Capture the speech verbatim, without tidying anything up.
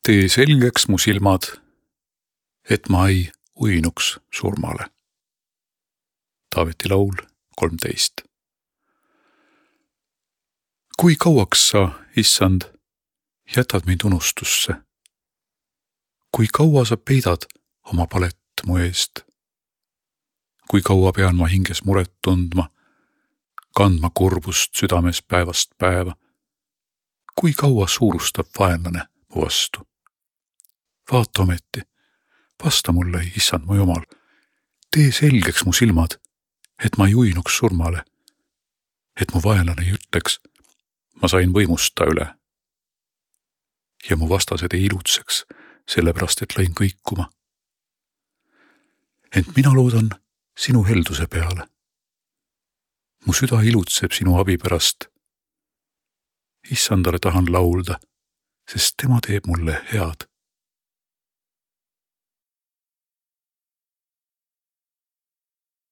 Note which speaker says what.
Speaker 1: Tee selgeks mu silmad, et ma ei uinuks surmale. Taaveti laul kolmteist. Kui kauaks sa, issand, jätad mind unustusse? Kui kaua sa peidad oma palet mu eest? Kui kaua pean ma hinges muret tundma, kandma kurbust südames päevast päeva? Kui kaua suurustab vaenlane mu vastu? Vaata ometi, vasta mulle, issand mu Jumal, tee selgeks mu silmad, et ma ei uinuks surmale, et mu vaenlane ei ütleks, ma sain võimust ta üle. Ja mu vastased ei ilutseks, sellepärast et lõin kõikuma. Ent mina loodan sinu helduse peale. Mu süda ilutseb sinu abi pärast. Issandale tahan laulda, sest tema teeb mulle head.